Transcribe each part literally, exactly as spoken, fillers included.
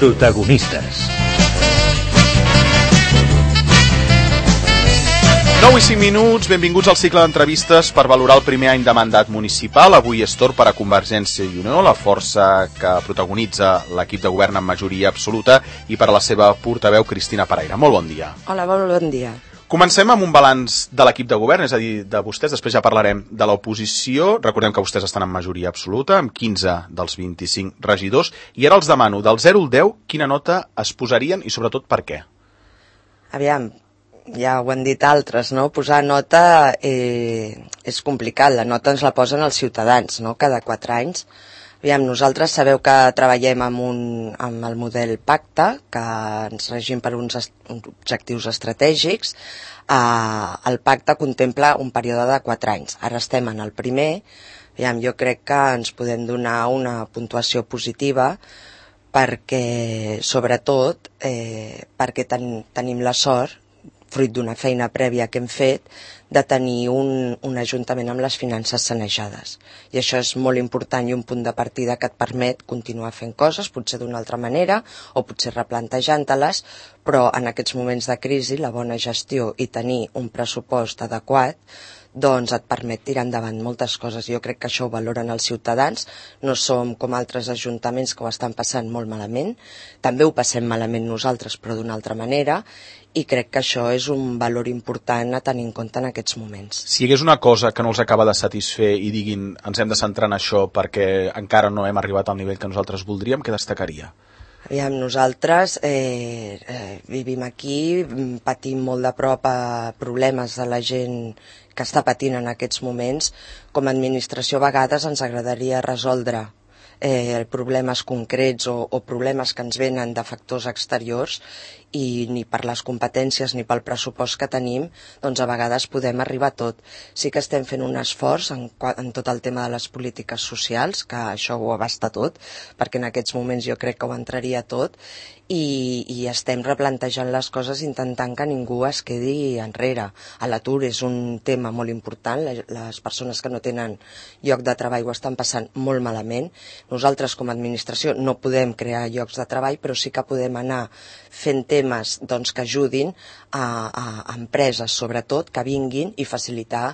Protagonistes. nou i cinc minuts, benvinguts al cicle d'entrevistes per valorar el primer any de mandat municipal. Avui és torn per a Convergència i Unió, la força que protagonitza l'equip de govern en majoria absoluta, i per a la seva portaveu, Cristina Pereira. Molt bon dia. Hola, molt bon dia. Comencem amb un balanç de l'equip de govern, és a dir, de vostès, després ja parlarem de l'oposició. Recordem que vostès estan en majoria absoluta, amb quinze dels vint-i-cinc regidors, i ara els demano, del zero al deu, quina nota es posarien i sobretot per què? Aviam, ja ho han dit altres, no? Posar nota eh, és complicat, la nota ens la posen els ciutadans, no? Cada quatre anys. Aviam, nosaltres sabeu que treballem amb, un, amb el model pacte, que ens regim per uns, est uns objectius estratègics. Eh, el pacte contempla un període de quatre anys. Ara estem en el primer. Aviam, jo crec que ens podem donar una puntuació positiva perquè, sobretot, eh, perquè ten, tenim la sort, fruit d'una feina prèvia que hem fet, de tenir un, un ajuntament amb les finances sanejades. I això és molt important i un punt de partida que et permet continuar fent coses, potser d'una altra manera, o potser replantejant-te-les, però en aquests moments de crisi la bona gestió i tenir un pressupost adequat doncs et permet tirar endavant moltes coses. Jo crec que això ho valoren els ciutadans, no som com altres ajuntaments que ho estan passant molt malament, també ho passem malament nosaltres però d'una altra manera, i crec que això és un valor important a tenir en compte en aquests moments. Si hi hagués una cosa que no els acaba de satisfer i diguin ens hem de centrar en això perquè encara no hem arribat al nivell que nosaltres voldríem, què destacaria? Aviam, nosaltres eh, eh, vivim aquí, patim molt de prop a problemes de la gent que està patint en aquests moments. Com a administració a vegades ens agradaria resoldre eh, problemes concrets o, o problemes que ens venen de factors exteriors, i ni per les competències ni pel pressupost que tenim, doncs a vegades podem arribar a tot. Sí que estem fent un esforç en, en tot el tema de les polítiques socials, que això ho abasta tot, perquè en aquests moments jo crec que ho entraria tot, i, i estem replantejant les coses intentant que ningú es quedi enrere. A l'atur és un tema molt important, les persones que no tenen lloc de treball ho estan passant molt malament. Nosaltres com a administració no podem crear llocs de treball, però sí que podem anar fent temes doncs, que ajudin a, a, a empreses, sobretot, que vinguin i facilitar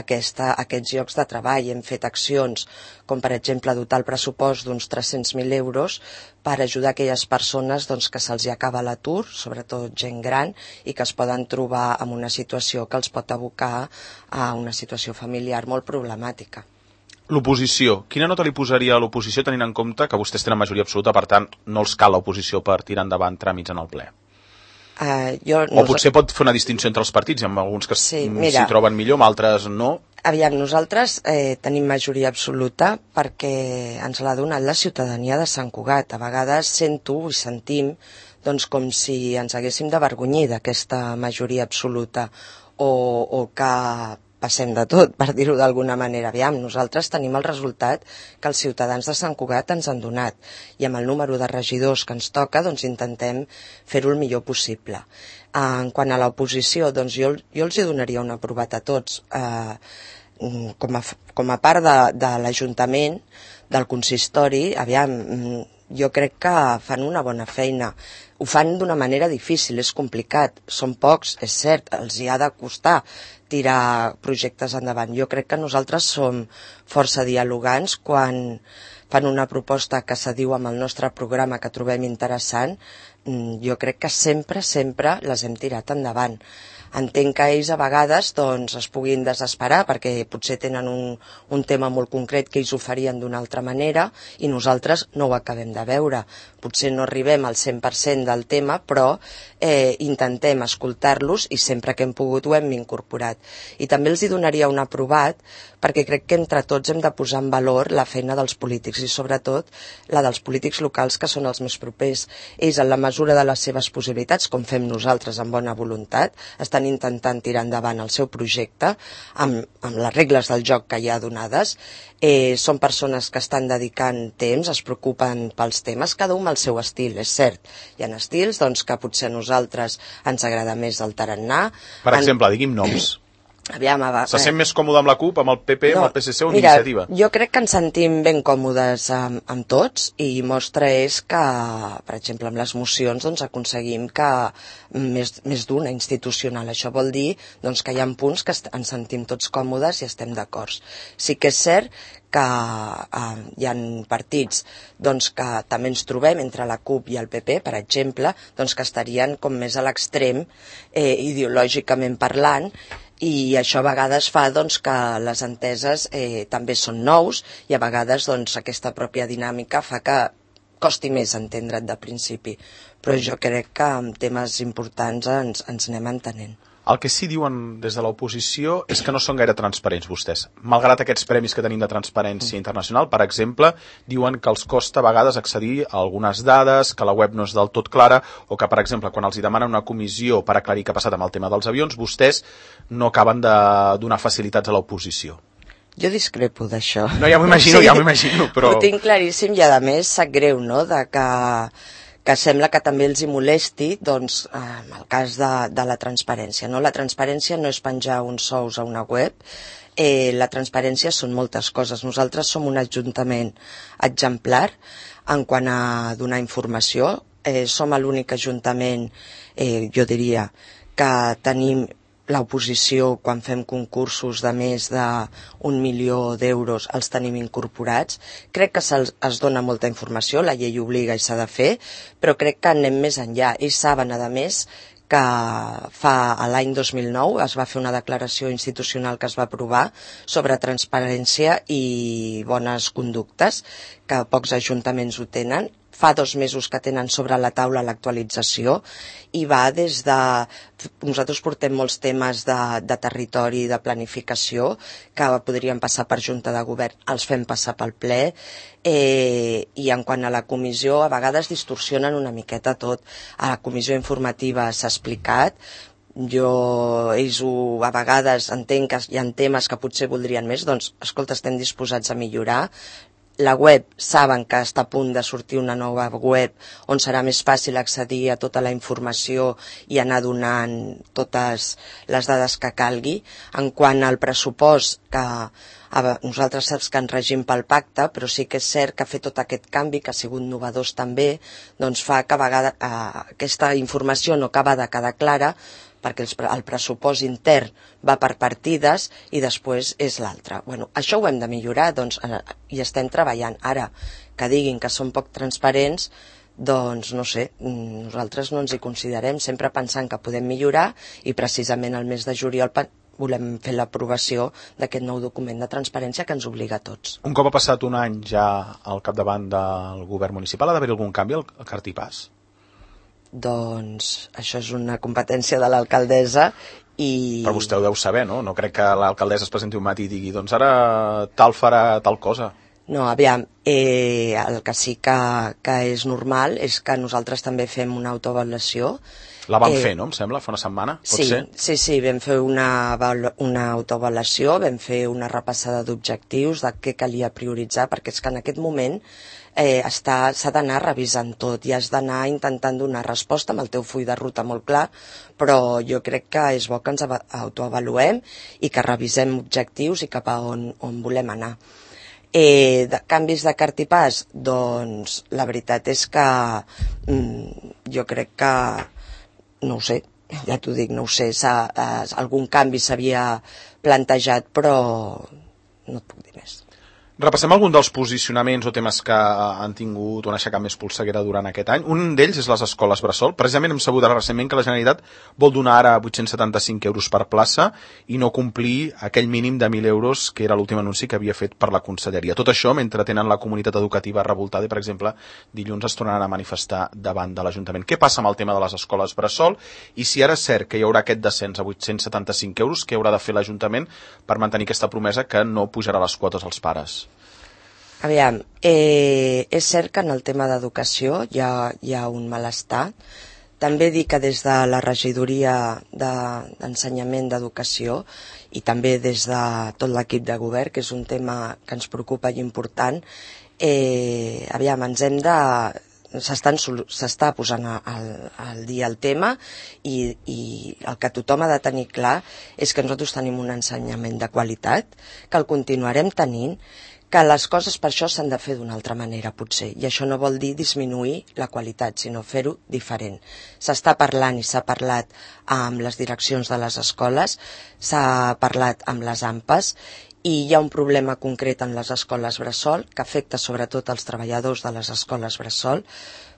aquesta, aquests llocs de treball. Hem fet accions com, per exemple, dotar el pressupost d'uns tres-cents mil euros per ajudar aquelles persones doncs, que se'ls acaba l'atur, sobretot gent gran, i que es poden trobar en una situació que els pot abocar a una situació familiar molt problemàtica. L'oposició. Quina nota li posaria a l'oposició tenint en compte que vostès tenen majoria absoluta, per tant, no els cal l'oposició per tirar endavant tràmits en el ple? Uh, jo, o potser pot fer una distinció entre els partits, amb alguns que s'hi sí, troben millor, amb altres no? Aviam, nosaltres eh, tenim majoria absoluta perquè ens l'ha donat la ciutadania de Sant Cugat. A vegades sento i sentim doncs, com si ens haguéssim d'avergonyir d'aquesta majoria absoluta o, o que passem de tot, per dir-ho d'alguna manera. Aviam, nosaltres tenim el resultat que els ciutadans de Sant Cugat ens han donat, i amb el número de regidors que ens toca doncs intentem fer-ho el millor possible. En quant a l'oposició, doncs jo, jo els hi donaria un aprovat a tots. Eh, com, a, com a part de, de l'Ajuntament, del consistori, aviam, jo crec que fan una bona feina. Ho fan d'una manera difícil, és complicat, són pocs, és cert, els hi ha de costar tirar projectes endavant. Jo crec que nosaltres som força dialogants quan fan una proposta que s'adiu amb el nostre programa que trobem interessant. Jo crec que sempre, sempre les hem tirat endavant. Entenc que ells a vegades doncs, es puguin desesperar perquè potser tenen un, un tema molt concret que ells ho farien d'una altra manera i nosaltres no ho acabem de veure. Potser no arribem al cent per cent del tema, però eh, intentem escoltar-los i sempre que hem pogut ho hem incorporat. I també els hi donaria un aprovat perquè crec que entre tots hem de posar en valor la feina dels polítics i sobretot la dels polítics locals que són els més propers. Ells, en la mesura de les seves possibilitats, com fem nosaltres amb bona voluntat, estan intentant tirar endavant el seu projecte amb, amb les regles del joc que hi ha donades. Eh, són persones que estan dedicant temps, es preocupen pels temes, cada un al seu estil, és cert. Hi ha estils doncs, que potser a nosaltres ens agrada més el tarannà. Per exemple, en... digui'm noms. Aviam, va, Se sent més còmode amb la CUP, amb el P P, no, amb el P S C o amb mira, Iniciativa? Jo crec que ens sentim ben còmodes amb, amb tots i mostra és que, per exemple, amb les mocions doncs, aconseguim que més, més d'una institucional. Això vol dir doncs, que hi ha punts que ens sentim tots còmodes i estem d'acord. Sí que és cert que eh, hi ha partits doncs, que també ens trobem entre la CUP i el P P, per exemple, doncs, que estarien com més a l'extrem eh, ideològicament parlant, i això a vegades fa doncs, que les enteses eh, també són nous i a vegades doncs, aquesta pròpia dinàmica fa que costi més entendre't de principi. Però jo crec que en temes importants ens, ens anem entenent. El que sí diuen des de l'oposició és que no són gaire transparents vostès. Malgrat aquests premis que tenim de transparència internacional, per exemple, diuen que els costa a vegades accedir a algunes dades, que la web no és del tot clara, o que, per exemple, quan els hi demanen una comissió per aclarir què ha passat amb el tema dels avions, vostès no acaben de donar facilitats a l'oposició. Jo discrepo d'això. No, ja m'ho imagino, sí, ja m'ho imagino, però... Ho tinc claríssim i, a més, sap greu, no?, de que... que sembla que també els hi molesti, doncs, en el cas de, de la transparència. No? La transparència no és penjar uns sous a una web, eh, la transparència són moltes coses. Nosaltres som un ajuntament exemplar en quant a donar informació. Eh, som l'únic ajuntament, eh, jo diria, que tenim l'oposició, quan fem concursos de més d'un milió d'euros, els tenim incorporats. Crec que se'ls es dona molta informació, la llei obliga i s'ha de fer, però crec que anem més enllà. Ells saben, a més, que fa l'any dos mil nou es va fer una declaració institucional que es va aprovar sobre transparència i bones conductes, que pocs ajuntaments ho tenen. Fa dos mesos que tenen sobre la taula l'actualització i va des de... Nosaltres portem molts temes de, de territori, de planificació, que podrien passar per Junta de Govern, els fem passar pel ple, eh, i en quant a la comissió, a vegades distorsionen una miqueta tot. A la comissió informativa s'ha explicat, jo, ells ho, a vegades entenc que hi ha temes que potser voldrien més, doncs, escolta, estem disposats a millorar. La web, saben que està a punt de sortir una nova web on serà més fàcil accedir a tota la informació i anar donant totes les dades que calgui. En quant al pressupost, que a nosaltres saps que ens regim pel pacte, però sí que és cert que fer tot aquest canvi, que ha sigut novedós també, doncs fa que a vegades eh, aquesta informació no acaba de quedar clara, perquè el pressupost intern va per partides i després és l'altre. Bueno, això ho hem de millorar, doncs hi estem treballant. Ara, que diguin que són poc transparents, doncs no sé, nosaltres no ens hi considerem, sempre pensant que podem millorar i precisament el mes de juliol volem fer l'aprovació d'aquest nou document de transparència que ens obliga a tots. Un cop ha passat un any ja al capdavant del govern municipal, ha d'haver algun canvi al cartipàs? Doncs això és una competència de l'alcaldessa i... Però vostè ho deu saber, no? No crec que l'alcaldessa es presenti un matí i digui doncs ara tal farà tal cosa. No, aviam, eh, el que sí que, que és normal és que nosaltres també fem una autoavaluació. La vam eh, fer, no? Em sembla, fa una setmana, pot sí, ser? Sí, sí, vam fer una, una autoavaluació, vam fer una repassada d'objectius, de què calia prioritzar, perquè és que en aquest moment eh, s'ha d'anar revisant tot i has d'anar intentant donar resposta amb el teu full de ruta molt clar, però jo crec que és bo que ens autoavaluem i que revisem objectius i cap a on, on volem anar. Eh, de, canvis de cartipàs? Doncs la veritat és que mm, jo crec que no ho sé, ja t'ho dic, no ho sé, eh, algun canvi s'havia plantejat, però no et puc dir més. Repassem algun dels posicionaments o temes que han tingut una aixecat més polseguera durant aquest any. Un d'ells és les escoles bressol. Precisament hem sabut recentment que la Generalitat vol donar ara vuit-cents setanta-cinc euros per plaça i no complir aquell mínim de mil euros que era l'últim anunci que havia fet per la Conselleria. Tot això mentre tenen la comunitat educativa revoltada i, per exemple, dilluns es tornaran a manifestar davant de l'Ajuntament. Què passa amb el tema de les escoles bressol? I si ara és cert que hi haurà aquest descens a vuit-cents setanta-cinc euros, què haurà de fer l'Ajuntament per mantenir aquesta promesa que no pujarà les quotes als pares? Aviam, eh, és cert que en el tema d'educació hi ha, hi ha un malestar. També dic que des de la regidoria d'ensenyament d'educació i també des de tot l'equip de govern, que és un tema que ens preocupa i important, eh, aviam, ens hem de, s'està posant al, al dia el tema i, i el que tothom ha de tenir clar és que nosaltres tenim un ensenyament de qualitat, que el continuarem tenint, que les coses per això s'han de fer d'una altra manera potser, i això no vol dir disminuir la qualitat, sinó fer-ho diferent. S'està parlant i s'ha parlat amb les direccions de les escoles, s'ha parlat amb les A M P As, i hi ha un problema concret en les escoles bressol que afecta sobretot els treballadors de les escoles bressol,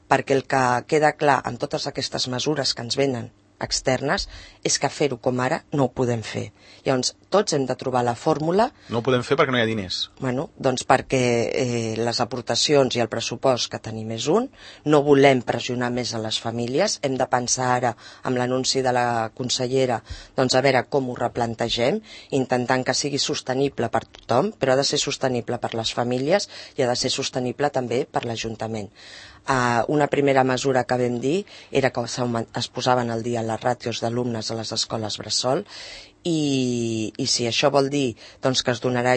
perquè el que queda clar amb totes aquestes mesures que ens venen externes és que fer-ho com ara no ho podem fer. Llavors, tots hem de trobar la fórmula. No ho podem fer perquè no hi ha diners. Bueno, doncs perquè eh, les aportacions i el pressupost que tenim és un, no volem pressionar més a les famílies, hem de pensar ara amb l'anunci de la consellera, doncs a veure com ho replantegem, intentant que sigui sostenible per tothom, però ha de ser sostenible per les famílies i ha de ser sostenible també per l'Ajuntament. Uh, una primera mesura que vam dir era que es posaven al dia les ràtios d'alumnes a les escoles bressol i, i si això vol dir doncs, que es donarà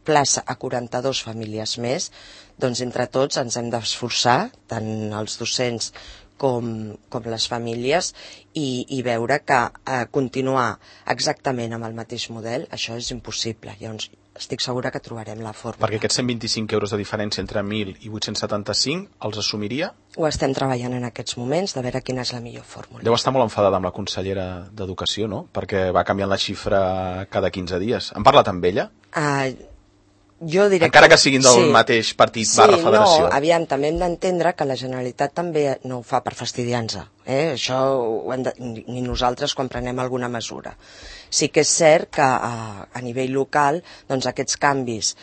plaça a quaranta-dues famílies més, doncs entre tots ens hem d'esforçar, tant els docents com, com les famílies, i, i veure que uh, continuar exactament amb el mateix model, això és impossible. Llavors, estic segura que trobarem la fórmula. Perquè aquests cent vint-i-cinc euros de diferència entre mil i vuit-cents setanta-cinc els assumiria? Ho estem treballant en aquests moments, de veure quina és la millor fórmula. Deu estar molt enfadada amb la consellera d'Educació, no? Perquè va canviant la xifra cada quinze dies. Han parlat amb ella? Uh, jo diré Encara que, que siguin del sí, mateix partit sí, barra federació. No, aviam, també hem d'entendre que la Generalitat també no ho fa per fastidiar-nos. Eh? Això ho hem de, ni nosaltres quan prenem alguna mesura. Sí que és cert que a, a nivell local doncs aquests canvis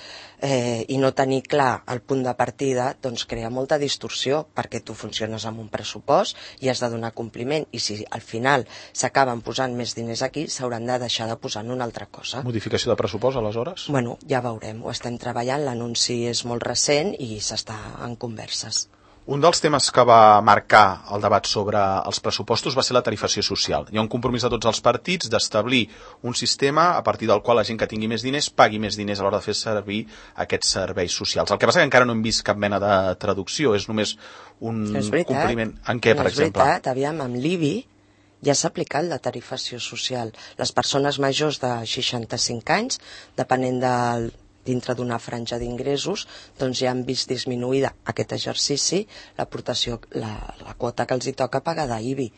eh, i no tenir clar el punt de partida doncs crea molta distorsió, perquè tu funciones amb un pressupost i has de donar compliment, i si al final s'acaben posant més diners aquí s'hauran de deixar de posar en una altra cosa. Modificació de pressupost aleshores? Bueno, ja veurem, ho estem treballant, l'anunci és molt recent i s'està en converses. Un dels temes que va marcar el debat sobre els pressupostos va ser la tarifació social. Hi ha un compromís de tots els partits d'establir un sistema a partir del qual la gent que tingui més diners pagui més diners a l'hora de fer servir aquests serveis socials. El que passa que encara no hem vist cap mena de traducció, és només un és veritat, compliment. En què, per és exemple? És veritat, aviam, amb l'I B I ja s'ha aplicat la tarifació social. Les persones majors de seixanta-cinc anys, depenent del dintre d'una franja d'ingressos, doncs ja han vist disminuïda aquest exercici l'aportació, la, la quota que els hi toca pagar d'I B I.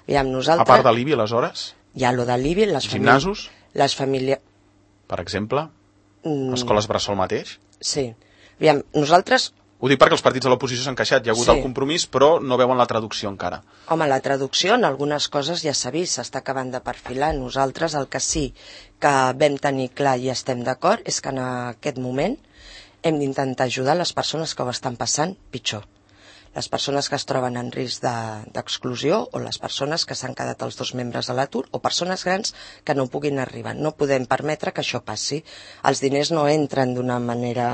Aviam, nosaltres... A part de l'I B I, aleshores? Hi ha lo de l'I B I, les gimnasos? Famílies, les famílies... Per exemple? Mm. Escoles bressol mateix? Sí. Aviam, nosaltres... Ho dic perquè els partits de l'oposició s'han queixat, hi ha hagut sí. el compromís, però no veuen la traducció encara. Home, la traducció en algunes coses ja s'ha vist, s'està acabant de perfilar. Nosaltres el que sí que vam tenir clar i estem d'acord és que en aquest moment hem d'intentar ajudar les persones que ho estan passant pitjor. Les persones que es troben en risc d'exclusió de, o les persones que s'han quedat els dos membres a l'atur o persones grans que no puguin arribar. No podem permetre que això passi. Els diners no entren d'una manera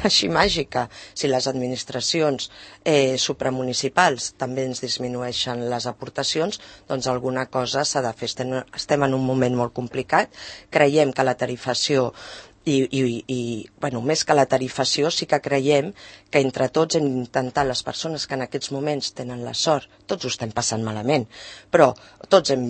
així màgica. Si les administracions eh, supramunicipals també ens disminueixen les aportacions, doncs alguna cosa s'ha de fer. Estem, estem en un moment molt complicat. Creiem que la tarifació I, i, i bueno, més que la tarifació sí que creiem que entre tots hem d'intentar, les persones que en aquests moments tenen la sort, tots ho estem passant malament, però tots hem,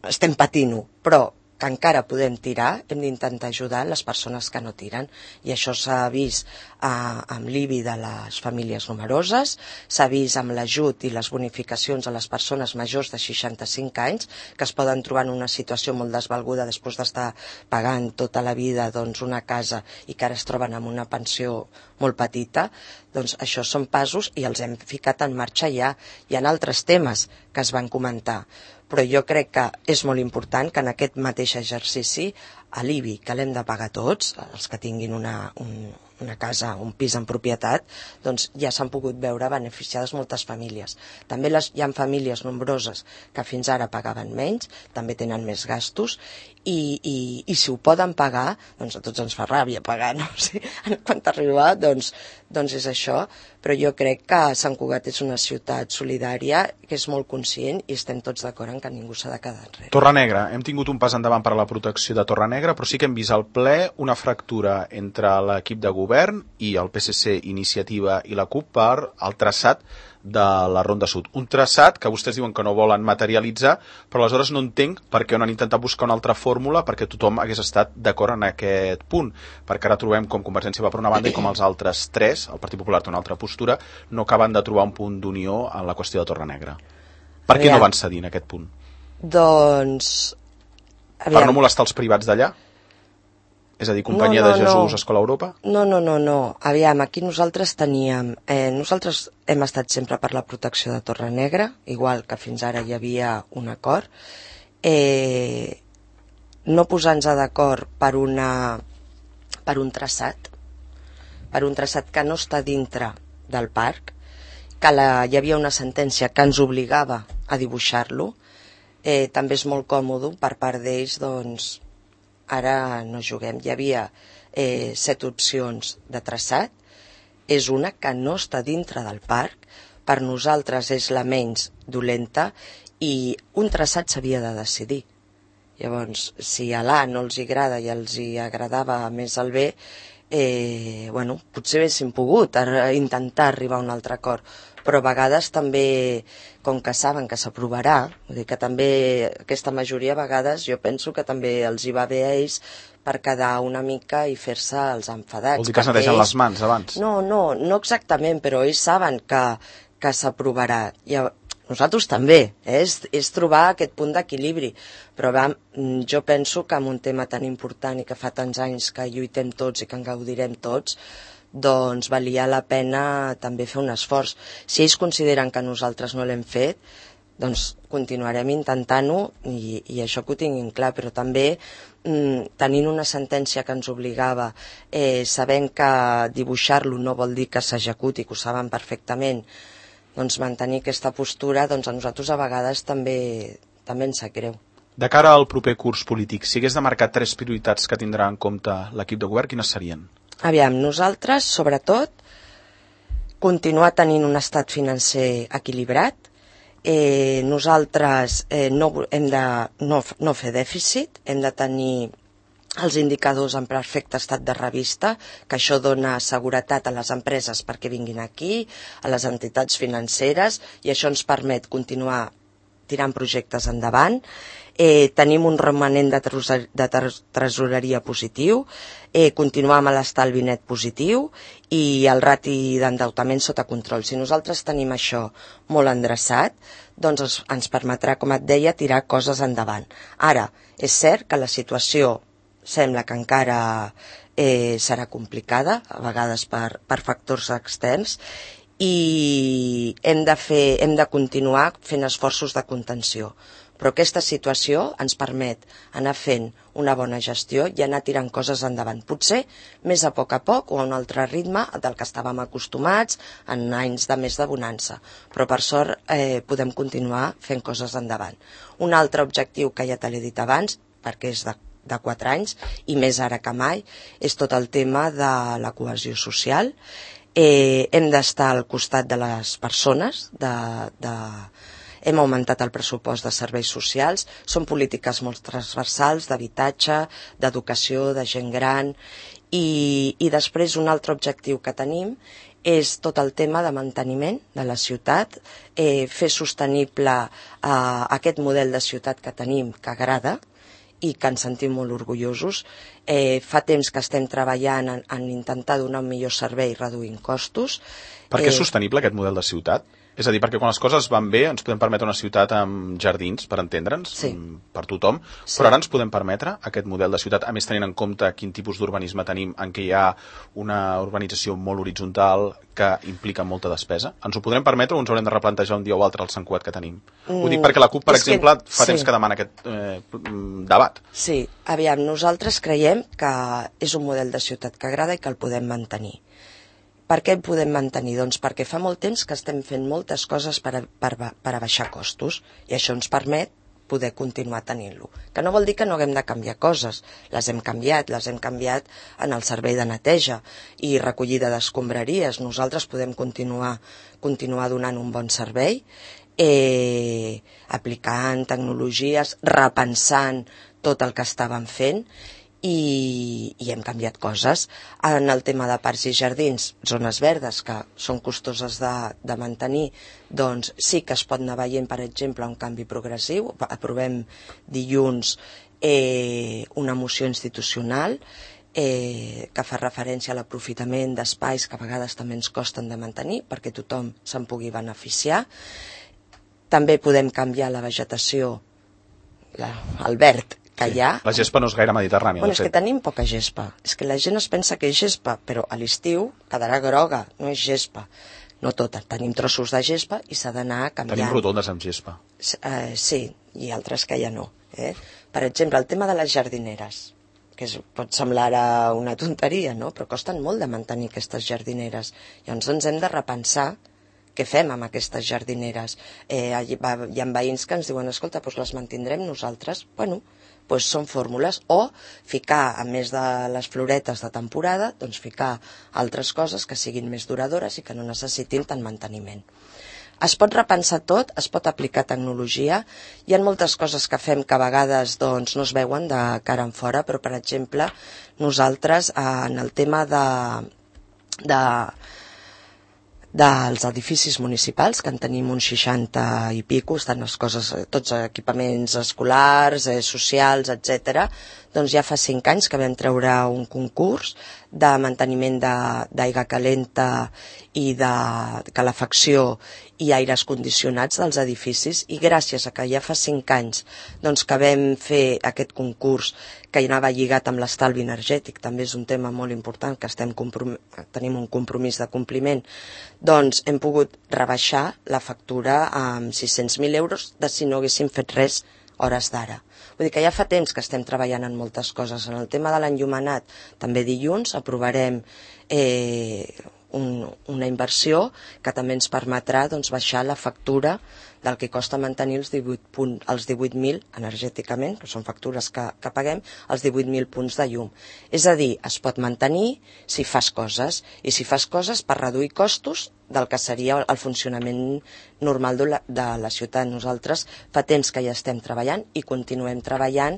estem patint-ho, però que encara podem tirar, hem d'intentar ajudar les persones que no tiren, i això s'ha vist eh, amb l'I B I de les famílies numeroses, s'ha vist amb l'ajut i les bonificacions a les persones majors de seixanta-cinc anys, que es poden trobar en una situació molt desvalguda després d'estar pagant tota la vida doncs, una casa i que ara es troben amb una pensió molt petita. Doncs això són passos i els hem ficat en marxa ja. Hi ha altres temes que es van comentar, però jo crec que és molt important que en aquest mateix exercici a l'I B I, que l'hem de pagar tots, els que tinguin una, un, una casa, un pis en propietat, doncs ja s'han pogut veure beneficiades moltes famílies. També les, hi ha famílies nombroses que fins ara pagaven menys, també tenen més gastos, i, i, i si ho poden pagar, doncs a tots ens fa ràbia pagar, no? Sí, quan t'arriba, doncs, doncs és això, però jo crec que Sant Cugat és una ciutat solidària, que és molt conscient i estem tots d'acord en que ningú s'ha de quedar enrere. Torrenegra, hem tingut un pas endavant per a la protecció de Torrenegra, però sí que hem vist al ple una fractura entre l'equip de govern Govern i el P S C, Iniciativa i la CUP per el traçat de la Ronda Sud. Un traçat que vostès diuen que no volen materialitzar, però aleshores no entenc per què no han intentat buscar una altra fórmula perquè tothom hagués estat d'acord en aquest punt, perquè ara trobem com Convergència va per una banda i com els altres tres, el Partit Popular té una altra postura, no acaben de trobar un punt d'unió en la qüestió de Torrenegra. Per què no van cedir en aquest punt? Doncs... Per no molestar els privats d'allà? És a dir, Companyia no, no, de Jesús, no. Escola Europa? No, no, no, no. Aviam, aquí nosaltres teníem... Eh, nosaltres hem estat sempre per la protecció de Torrenegra, igual que fins ara hi havia un acord. Eh, no posar-nos d'acord per, una, per un traçat, per un traçat que no està dintre del parc, que la, hi havia una sentència que ens obligava a dibuixar-lo. Eh, també és molt còmode per part d'ells, doncs... Ara no juguem. Hi havia eh, set opcions de traçat. És una que no està dintre del parc. Per nosaltres és la menys dolenta i un traçat s'havia de decidir. Llavors, si a l'A no els agrada i els hi agradava més el B, eh, bueno, potser haguéssim pogut intentar arribar a un altre acord. Però a vegades també, com que saben que s'aprovarà, vull dir que també aquesta majoria a vegades jo penso que també els hi va bé a ells per quedar una mica i fer-se els enfadats. Vol dir que es netegen les mans abans? No, no, no exactament, però ells saben que, que s'aprovarà. I nosaltres també, eh? és, és trobar aquest punt d'equilibri, però va, jo penso que en un tema tan important i que fa tants anys que lluitem tots i que en gaudirem tots, doncs valia la pena també fer un esforç. Si ells consideren que nosaltres no l'hem fet, doncs continuarem intentant-ho i, i això que ho tinguin clar, però també mm, tenint una sentència que ens obligava, eh, sabent que dibuixar-lo no vol dir que s'executi, que ho saben perfectament, doncs mantenir aquesta postura, doncs a nosaltres a vegades també, també ens sap greu. De cara al proper curs polític, si hagués de marcar tres prioritats que tindrà en compte l'equip de govern, quines serien? Aviam, nosaltres, sobretot, continuar tenint un estat financer equilibrat. Eh, nosaltres eh, no hem de no, no fer dèficit, hem de tenir els indicadors en perfecte estat de revista, que això dona seguretat a les empreses perquè vinguin aquí, a les entitats financeres, i això ens permet continuar tirant projectes endavant. Eh, tenim un romanent de, de tresoreria positiu, eh, continuar amb l'estalvi net positiu i el rati d'endeutament sota control. Si nosaltres tenim això molt endreçat, doncs es, ens permetrà, com et deia, tirar coses endavant. Ara, és cert que la situació sembla que encara eh, serà complicada, a vegades per, per factors externs, i hem de, fer, hem de continuar fent esforços de contenció. Però aquesta situació ens permet anar fent una bona gestió i anar tirant coses endavant. Potser més a poc a poc o a un altre ritme del que estàvem acostumats en anys de més de bonança. Però per sort eh, podem continuar fent coses endavant. Un altre objectiu que ja te l'he dit abans, perquè és de, de quatre anys i més ara que mai, és tot el tema de la cohesió social. Eh, hem d'estar al costat de les persones, de... de hem augmentat el pressupost de serveis socials, són polítiques molt transversals d'habitatge, d'educació, de gent gran, i, i després un altre objectiu que tenim és tot el tema de manteniment de la ciutat, eh, fer sostenible eh, aquest model de ciutat que tenim, que agrada, i que ens sentim molt orgullosos. Eh, fa temps que estem treballant en, en intentar donar un millor servei reduint costos. Per què és sostenible aquest model de ciutat? És a dir, perquè quan les coses van bé ens podem permetre una ciutat amb jardins, per entendre'ns, sí. per tothom, sí. Però ara ens podem permetre aquest model de ciutat, a més tenint en compte quin tipus d'urbanisme tenim, en què hi ha una urbanització molt horitzontal que implica molta despesa. Ens ho podrem permetre o ens haurem de replantejar un dia o altre el Sant Cugat que tenim? Mm, ho dic perquè la CUP, per exemple, que, fa sí. temps que demana aquest eh, debat. Sí, aviam, nosaltres creiem que és un model de ciutat que agrada i que el podem mantenir. Per què el podem mantenir? Doncs perquè fa molt temps que estem fent moltes coses per, a, per, per abaixar costos i això ens permet poder continuar tenint-lo. Que no vol dir que no haguem de canviar coses. Les hem canviat, les hem canviat en el servei de neteja i recollida d'escombraries. Nosaltres podem continuar, continuar donant un bon servei, eh, aplicant tecnologies, repensant tot el que estàvem fent i, i hem canviat coses. En el tema de parcs i jardins, zones verdes que són costoses de, de mantenir, doncs sí que es pot anar veient, per exemple, un canvi progressiu. Aprovem dilluns eh, una moció institucional eh, que fa referència a l'aprofitament d'espais que a vegades també ens costen de mantenir perquè tothom se'n pugui beneficiar. També podem canviar la vegetació, la, el verd que sí, hi ha. La gespa no és gaire mediterrània. Bueno, és que tenim poca gespa. És que la gent es pensa que és gespa, però a l'estiu quedarà groga, no és gespa. No tota, tenim trossos de gespa i s'ha d'anar canviant. Tenim rotondes amb gespa. Uh, sí, i altres que ja no. Eh? Per exemple, el tema de les jardineres, que és, pot semblar ara una tonteria, no? Però costen molt de mantenir aquestes jardineres. Llavors ens hem de repensar què fem amb aquestes jardineres. Eh, hi ha veïns que ens diuen, escolta, doncs les mantindrem nosaltres. Bueno, doncs són fórmules. O ficar, a més de les floretes de temporada, doncs ficar altres coses que siguin més duradores i que no necessitin tant manteniment. Es pot repensar tot, es pot aplicar tecnologia. Hi ha moltes coses que fem que a vegades doncs, no es veuen de cara en fora, però, per exemple, nosaltres en el tema de... de dels edificis municipals, que en tenim uns seixanta i pico, estan les coses, tots equipaments escolars, eh, socials, etcètera. Doncs ja fa cinc anys que vam treure un concurs de manteniment d'aigua calenta i de calefacció i aires condicionats dels edificis, i gràcies a que ja fa cinc anys doncs, que vam fer aquest concurs que anava lligat amb l'estalvi energètic, també és un tema molt important que estem tenim un compromís de compliment, doncs hem pogut rebaixar la factura amb sis-cents mil euros de si no haguéssim fet res hores d'ara. Vull dir que ja fa temps que estem treballant en moltes coses. En el tema de l'enllumenat, també dilluns aprovarem eh, un, una inversió que també ens permetrà doncs, baixar la factura del que costa mantenir els divuit mil energèticament, que són factures que, que paguem, els divuit mil punts de llum. És a dir, es pot mantenir si fas coses, i si fas coses per reduir costos del que seria el funcionament normal de la, de la ciutat. Nosaltres fa temps que ja estem treballant i continuem treballant,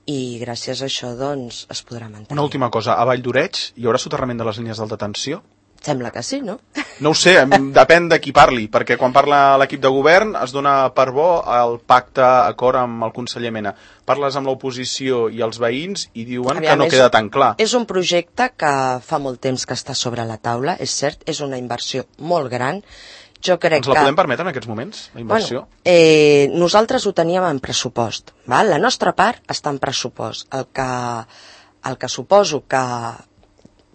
i gràcies a això doncs, es podrà mantenir. Una última cosa, a Vall d'Oreig hi haurà soterrament de les línies d'alta tensió? Sembla que sí, no? No ho sé, depèn de qui parli, perquè quan parla l'equip de govern es dona per bo el pacte acord amb el conseller Mena. Parles amb l'oposició i els veïns i diuen Aviam, que no és, queda tan clar. És un projecte que fa molt temps que està sobre la taula, és cert, és una inversió molt gran. Jo crec Ens la que... podem permetre en aquests moments, la inversió? Bueno, eh, nosaltres ho teníem en pressupost. Val? La nostra part està en pressupost. El que, el que suposo que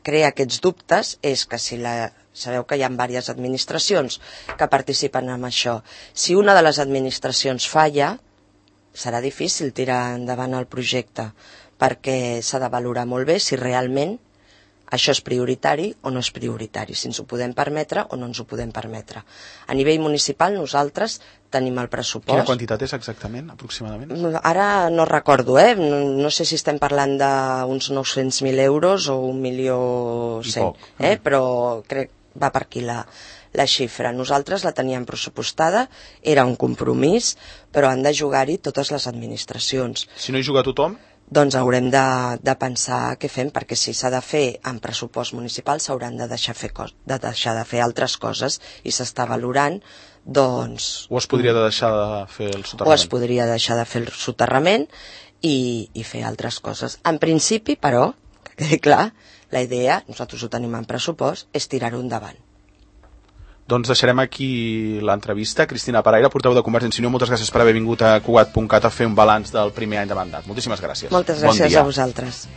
crea aquests dubtes és que si la... Sabeu que hi ha diverses administracions que participen en això. Si una de les administracions falla, serà difícil tirar endavant el projecte, perquè s'ha de valorar molt bé si realment això és prioritari o no és prioritari, si ens ho podem permetre o no ens ho podem permetre. A nivell municipal nosaltres tenim el pressupost. Quina quantitat és exactament, aproximadament? Ara no recordo, eh? No, no sé si estem parlant d'uns nou-cents mil euros o un milió cent, eh? Però crec que va per aquí la, la xifra. Nosaltres la teníem pressupostada, era un compromís, però han de jugar-hi totes les administracions. Si no hi juga tothom? Doncs haurem de, de pensar què fem, perquè si s'ha de fer en pressupost municipal s'hauran de deixar, fer cos, de deixar de fer altres coses i s'està valorant, doncs... O es podria deixar de fer el soterrament? O es podria deixar de fer el soterrament i, i fer altres coses. En principi, però, que quedi clar, la idea, nosaltres ho tenim en pressupost, és tirar-ho endavant. Doncs deixarem aquí l'entrevista. Cristina Paraire, portaveu de Convergència i Unió, moltes gràcies per haver vingut a Cugat punt cat a fer un balanç del primer any de mandat. Moltíssimes gràcies. Moltes gràcies bon a vosaltres.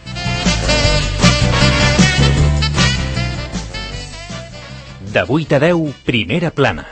De vuit a deu, Primera Plana.